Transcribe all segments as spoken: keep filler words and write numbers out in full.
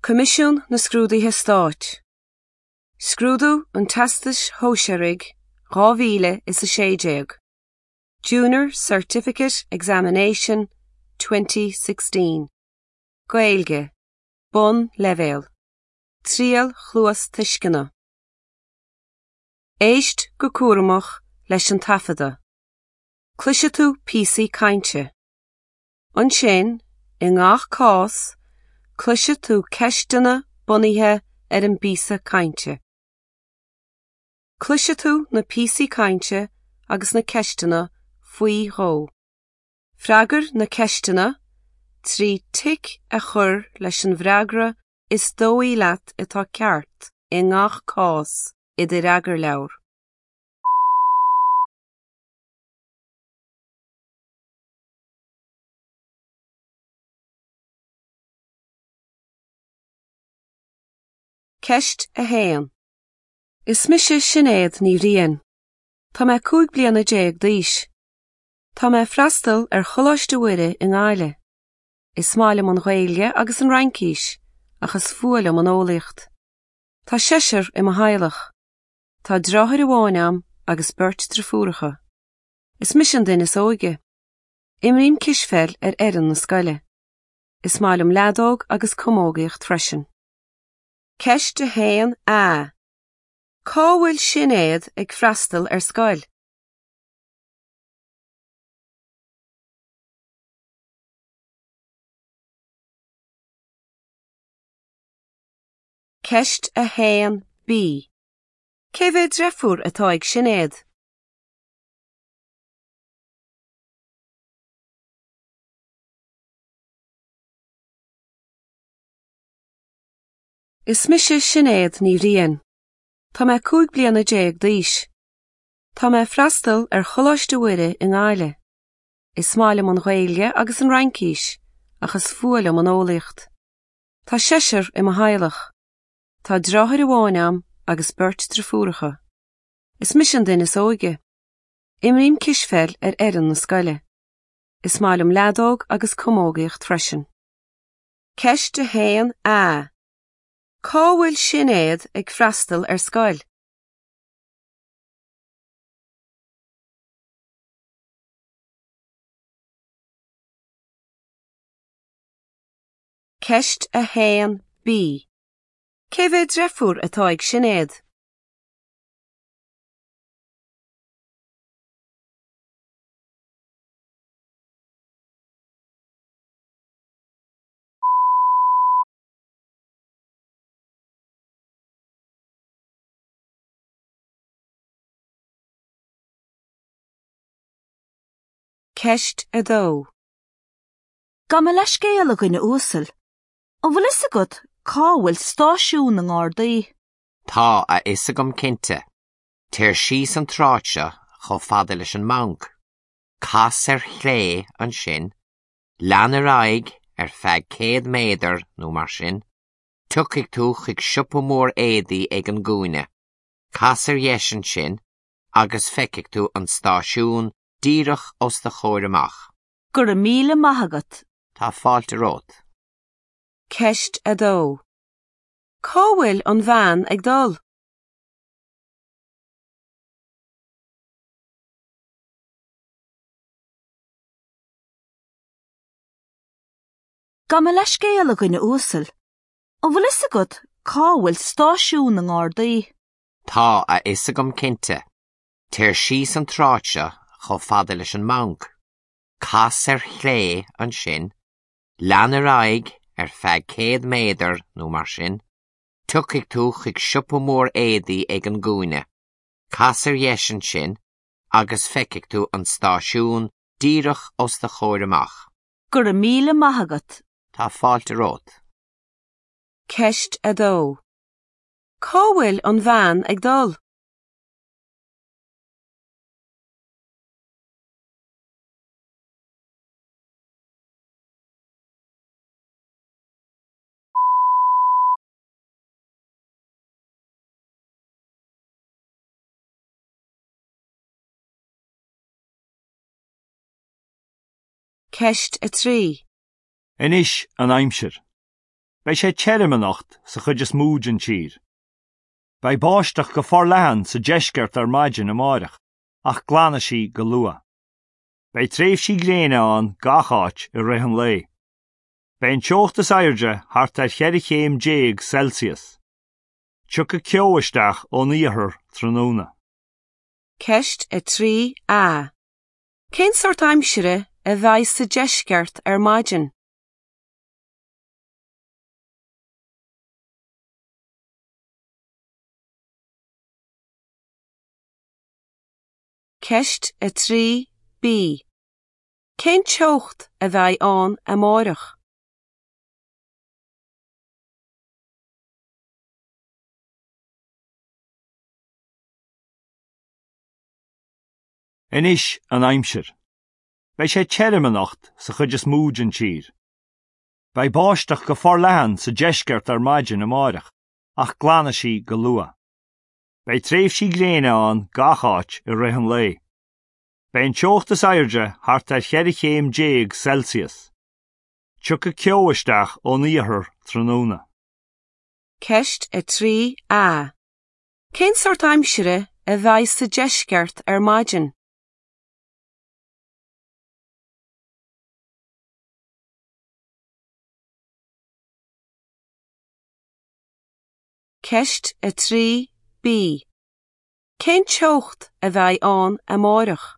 Coimisiún na Scrúduithe Stáit. Scrúdú an Teastais Shóisearaigh dhá mhíle is a sé déag. Junior Certificate Examination twenty sixteen. Gaeilge. Bonnleibhéal. Triail chluastuisceana. Éist go cúramach leis an taifeadadh. Cloisfidh tú píosaí cainte. Ansin, i ngach cás, cloisfidh tú ceisteanna bunaithe ar an bpíosa cainte. Cloisfidh tú na píosaí cainte agus na ceisteanna faoi dhó. Freagair na ceisteanna trí tic a chur leis an bhfreagra is dóigh leat atá ceart i ngach cás i do fhreagarleabhar. Ceist a haon. Is mise Sinéad Ní Bhriain. Tá mé cúig bliana déag d'aois. Tá mé ag freastal ar Choláiste Mhuire i nGaillimh. Is maith liom an Ghaeilge agus an Fhraincis, ach is fuath liom an eolaíocht. Tá seisear i mo theaghlach. Tá deartháir amháin agam agus beirt deirfiúracha. Is mise an duine is óige. Imrím cispheil ar fhoireann na scoile. Is maith liom leadóg agus camógaíocht freisin. Ceist a haon A. Cá bhfuil Sinéad ag freastal ar scoil? Ceist a haon B. Cé mhéad deirfiúr atá ag Sinéad? Is mise Sinéad Ní Bhriain. Tá mé cúig bliana déag d'aois. Tá mé ag freastal ar Choláiste Mhuire i nGaillimh. Is maith liom an Ghaeilge agus an Fhraincis, ach is fuath liom an eolaíocht. Tá seisear i mo theaghlach. Tá deartháir amháin agam agus beirt deirfiúracha. Is mise an duine is óige. Imrím cispheil ar fhoireann na scoile. Is maith liom leadóg agus camógaíocht freisin. Ceist a haon A. Cá bhfuil Sinéad ag freastal ar scoil? Ceist a haon B. Cé mhéad deirfiúr atá ag Sinéad? Ceist a dó. Gabh mo leithscéal a dhuine uasail. An bhfuil fhios agat cá bhfuil stáisiún na nGardaí? Tá a fhios agam cinnte. Téir síos an tsráid seo chomh fada leis an mbanc. Cas ar chlé ansin, lean ar aghaidh ar feadh céad méadar nó mar sin, tiocfaidh tú chuig siopa mór éadaí ag an gcúinne. Cas ar dheis ansin agus feicfidh tú an stáisiún díreach os do chomhair amach. Go raibh míle maith agat. Tá fáilte romhat. Ceist a dó. Cá bhfuil an bhean ag dul? Gabh mo leithscéal a dhuine uasail. An bhfuil fhios agat cá bhfuil stáisiún na nGardaí? Tá a fhios agam cinnte. Téir síos an tsráid seo chomh fada leis an mbanc. Cas ar chlé ansin, lean ar aghaidh ar feadh céad méadar nó mar sin, tiocfaidh tú chuig siopa mór éadaí ag an gcúinne. Cas ar dheis ansin agus feicfidh tú an stáisiún díreach os do chomhair amach. Go raibh míle maith agat. Tá fáilte romhat. Ceist a dó. Cá bhfuil an bhean ag dul? Ceist a trí. Anois an aimsir. Beidh sé tirim anocht sa chuid is mó den tír. Beidh báisteach go forleathan sa deisceart ar maidin amárach, ach glanfaidh sí go luath. Beidh tréimhsí gréine ann gach áit i rith an lae. Beidh an teocht is airde thart ar cheithre chéim déag Celsius. Tiocfaidh ceo isteach ón iarthar tráthnóna. Ceist a trí A. Cén sórt aimsire a bheidh sa deisceart ar maidin? Ceist a trí B. Cén teocht a bheidh ann amárach? Anois an aimsir. Beidh sé tirim anocht sa chuid is mó den tír. Beidh báisteach go forleathan sa deisceart ar maidin amárach, ach glanfaidh sí go luath. Beidh tréimhsí gréine ann gach áit i rith an lae. Beidh an teocht is airde thart ar cheithre chéim déag Celsius. Tiocfaidh ceo isteach ón iarthar tráthnóna. Ceist a trí A. Cén sórt aimsire a bheidh sa deisceart ar maidin? Ceist a trí B. Cén teocht a bheidh ann amárach?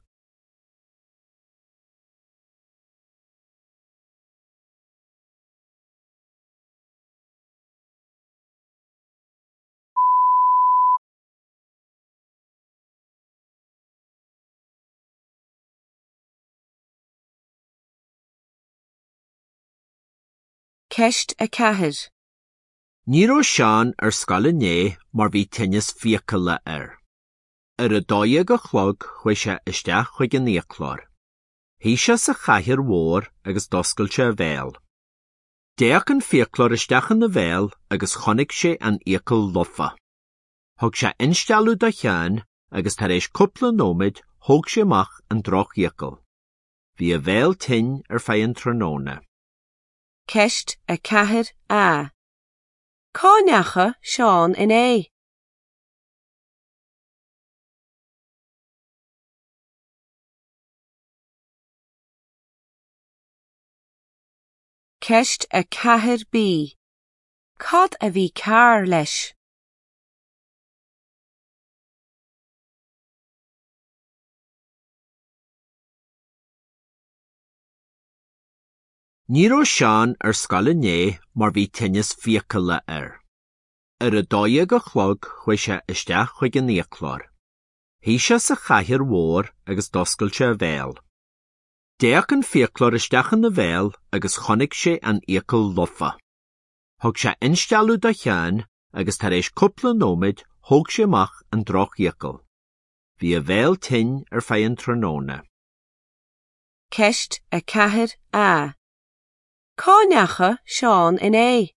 Ceist a ceathair. Ní raibh Seán ar scoil inné mar bhí tinneas fiacaile air. Ar a dó dhéag a chlog chuaigh sé isteach chuig an fhiaclóir. Shuigh sé sa chathaoir mhór agus d'oscail sé a bhéal. D'fhéach an fiaclóir isteach ina bhéal agus chonaic sé an fhiacail lofa. Thug sé instealladh do Sheán agus tar éis cúpla nóiméad thóg sé amach an drochfhiacail. Bhí a bhéal tinn ar feadh an tráthnóna. Ceist a ceathair A. Cá ndeachaigh Seán inné? Ceist a ceathair B. Cad a bhí cearr leis? Ní raibh Seán ar scoil inné mar bhí tinneas fiacaile air. Ar a dó dhéag a chlog chuaigh sé isteach chuig an fhiaclóir. Shuigh sé sa chathaoir mhór agus d'oscail sé a bhéal. D'fhéach an fiaclóir isteach ina bhéal agus chonaic sé an fhiacail lofa. Thug sé instealladh do Sheán agus tar éis cúpla nóiméad thóg sé amach an drochfhiacail. Bhí a bhéal tinn ar feadh an tráthnóna. Ceist a ceathair A. Cá ndeachaigh Seán inné?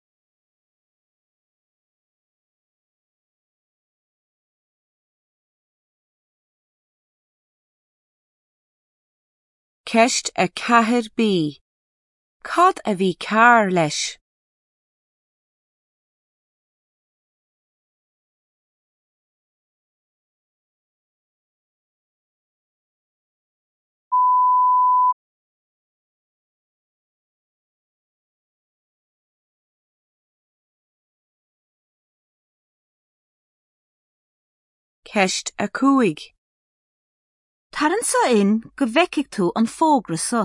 Ceist a ceathair B. Cad a bhí cearr leis? Ceist a cúig. Tar anseo in go bhfeicfidh tú an fógra seo.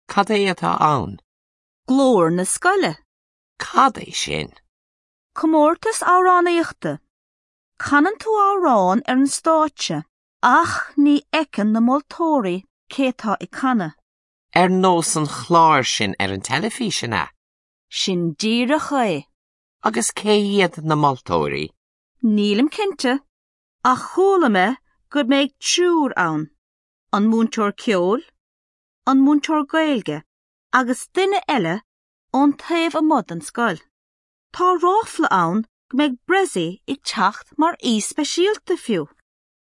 Cad é atá ann? Glór na scoile. Cad é sin? Comórtas amhránaíochta. Canann tú amhrán ar an stáitse, ach ní fheiceann na moltóirí cé atá ag canadh. Ar nós an chláir sin ar an teilifís an ea? Sin díreach é. Agus cé hiad na moltóirí? Nílim cinnte, ach chuala mé go mbeidh triúr ann, an múinteoir ceoil, an múinteoir Gaeilge, agus duine eile ón taobh amuigh den scoil. Tá ráfla ann go mbeidh Bressie ag teacht mar aoi speisialta fiú.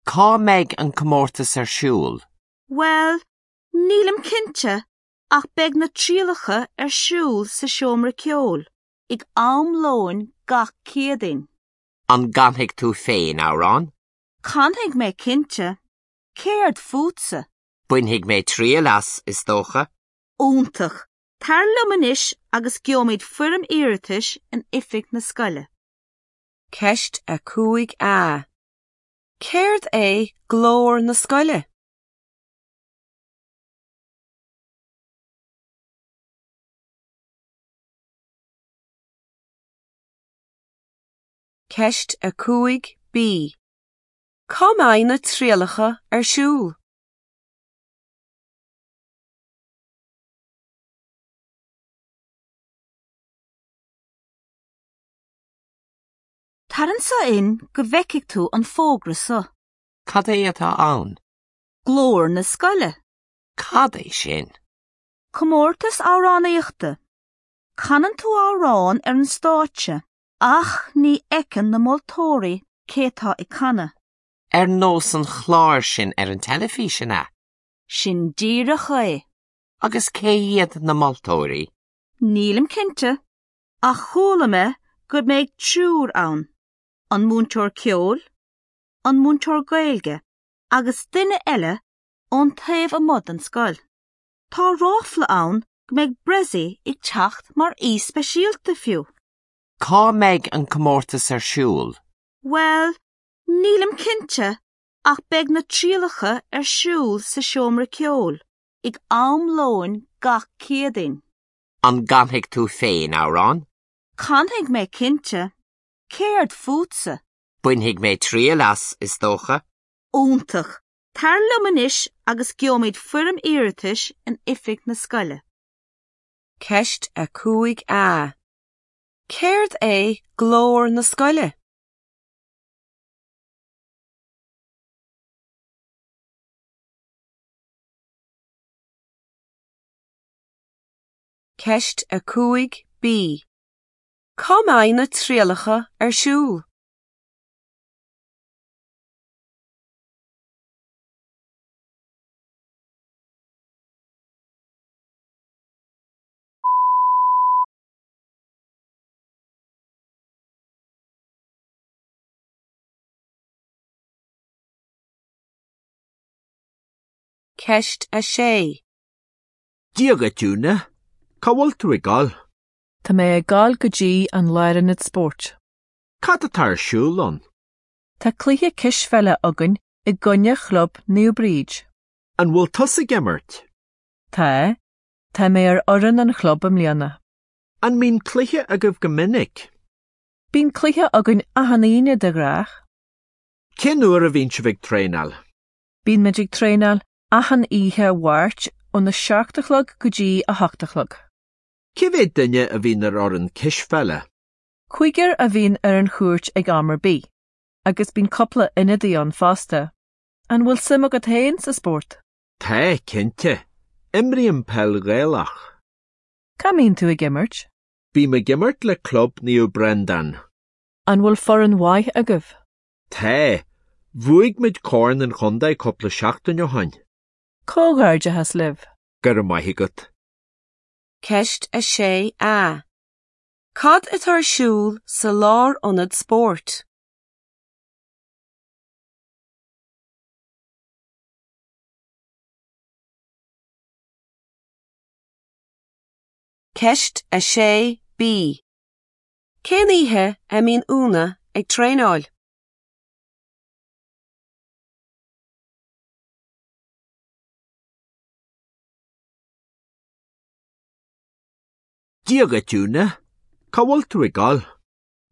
Cá mbeidh an comórtas ar siúl? Well, nílim cinnte ach beidh na trialacha ar siúl sa seomra ceoil, ag am lóin gach Céadaoin. An gcanfaidh tú féin amhrán? Canfaidh mé cinnte. Céard fútsa? Bainfidh mé triail as, is dócha. Iontach. Tar liom anois agus gheobhaimid foirm iarratais in oifig na scoile. Ceist a cúig A. Céard é glór na scoile? Ceist a cúig B. Cá mbeidh na trialacha ar siúl? Tar anseo in go bhfeicfidh tú an fógra seo. Cad é atá ann? Glór na scoile. Cad é sin? Comórtas amhránaíochta. Canann tú amhrán ar an stáitse, ach ní fheiceann na moltóirí cé atá ag canadh. Ar nós an chláir sin ar an teilifís an ea? Sin díreach é. Agus cé hiad na moltóirí? Nílim cinnte, ach chuala mé go mbeidh triúr ann, an múinteoir ceoil, an múinteoir Gaeilge, agus duine eile ón taobh amuigh den scoil. Tá ráfla ann go mbeidh Bressie ag teacht mar aoi speisialta fiú. Cá mbeidh an comórtas ar siúl? Well, nílim cinnte, ach beidh na trialacha ar siúl sa seomra ceoil, ag am lóin gach Céadaoin. An gcanfaidh tú féin amhrán? Canfaidh mé cinnte. Céard fútsa? Bainfidh mé triail as, is dócha. Iontach. Tar liom anois agus gheobhaimid foirm iarratais in oifig na scoile. Ceist a cúig A. Céard é glór na scoile? Ceist a cúig B. Cá mbeidh na trialacha ar siúl? Ceist a sé. Dia dhuit, Úna. Cá bhfuil tú ag dul? Tá mé ag dul go dtí an lárionad spóirt. Cad atá ar siúl ann? Tá cluiche cispheile againn i gcoinne chlub Naomh Bríd. An bhfuil tusa ag imirt? Tá, tá mé ar fhoireann an chlub i mbliana. An mbíonn cluiche agaibh go minic? Bíonn cluiche againn achan Aoine de ghnách. Cén uair a bhíonn sibh ag traenáil? Bíonn muid ag traenáil achan oíche Mháirt óna seacht a chlog go dtí a hocht a chlog. Cé mhéad duine a bhíonn ar fhoireann cispheile? Cúigear a bhíonn ar an chúirt ag am ar bith, agus bíonn cúpla ionadaí ann fosta. An bhfuil suim agat féin sa spórt? Tá, cinnte. Imrím peil Ghaelach. Cá mbíonn tú ag imirt? Bím ag imirt le club Naomh Breandán. An bhfuil foireann mhaith agaibh? Tá. Bhuaigh muid Corn an Chontae cúpla seachtain ó shin. Comhghairdeas libh. Go raibh maith agat. Ceist a sé A. Cad atá ar siúl sa lárionad spóirt? Ceist a sé B. Cén oíche a mbíonn Úna ag traenáil? Dia dhuit, Úna. Cá bhfuil tú ag dul?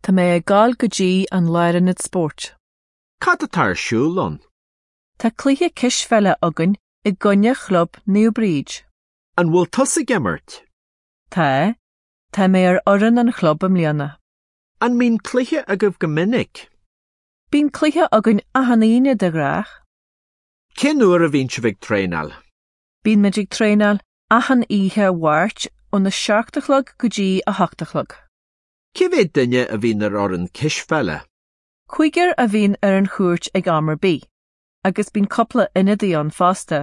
Tá mé ag dul go dtí an lárionad spóirt. Cad atá ar siúl ann? Tá cluiche cispheile againn i gcoinne chlub Naomh Bríd. An bhfuil tusa ag imirt? Tá, tá mé ar fhoireann an chlub i mbliana. An mbíonn cluiche agaibh go minic? Bíonn cluiche againn achan Aoine de ghnách. Cén uair a bhíonn sibh ag traenáil? Bíonn muid ag traenáil achan oíche Mháirt óna seacht a chlog go dtí a hocht a chlog. Cé mhéad duine a bhíonn ar fhoireann cispheile? Cúigear a bhíonn ar an chúirt ag am ar bith, agus bíonn cúpla ionadaí ann fosta.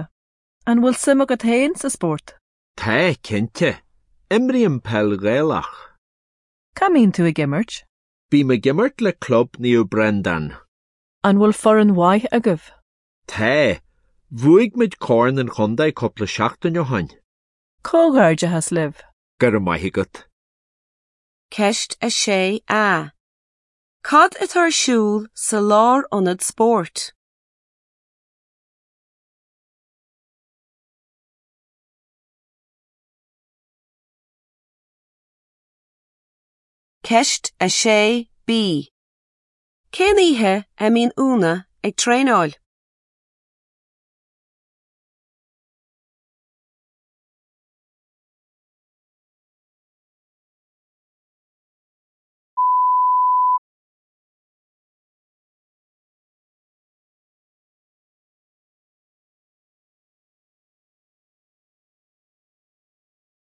An bhfuil suim agat féin sa spórt? Tá, cinnte. Imrím peil Ghaelach. Cá mbíonn tú ag imirt? Bím ag imirt le club Naomh Breandán. An bhfuil foireann mhaith agaibh? Tá, bhuaigh muid Corn an Chontae cúpla seachtain ó shin. Comhghairdeas libh. Go raibh maith agat. Ceist a sé A. Cad atá ar siúl sa lárionad spóirt? Ceist a sé B. Cén oíche a mbíonn Úna ag traenáil?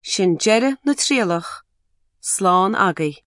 Sin deireadh na trialach, slán agaibh.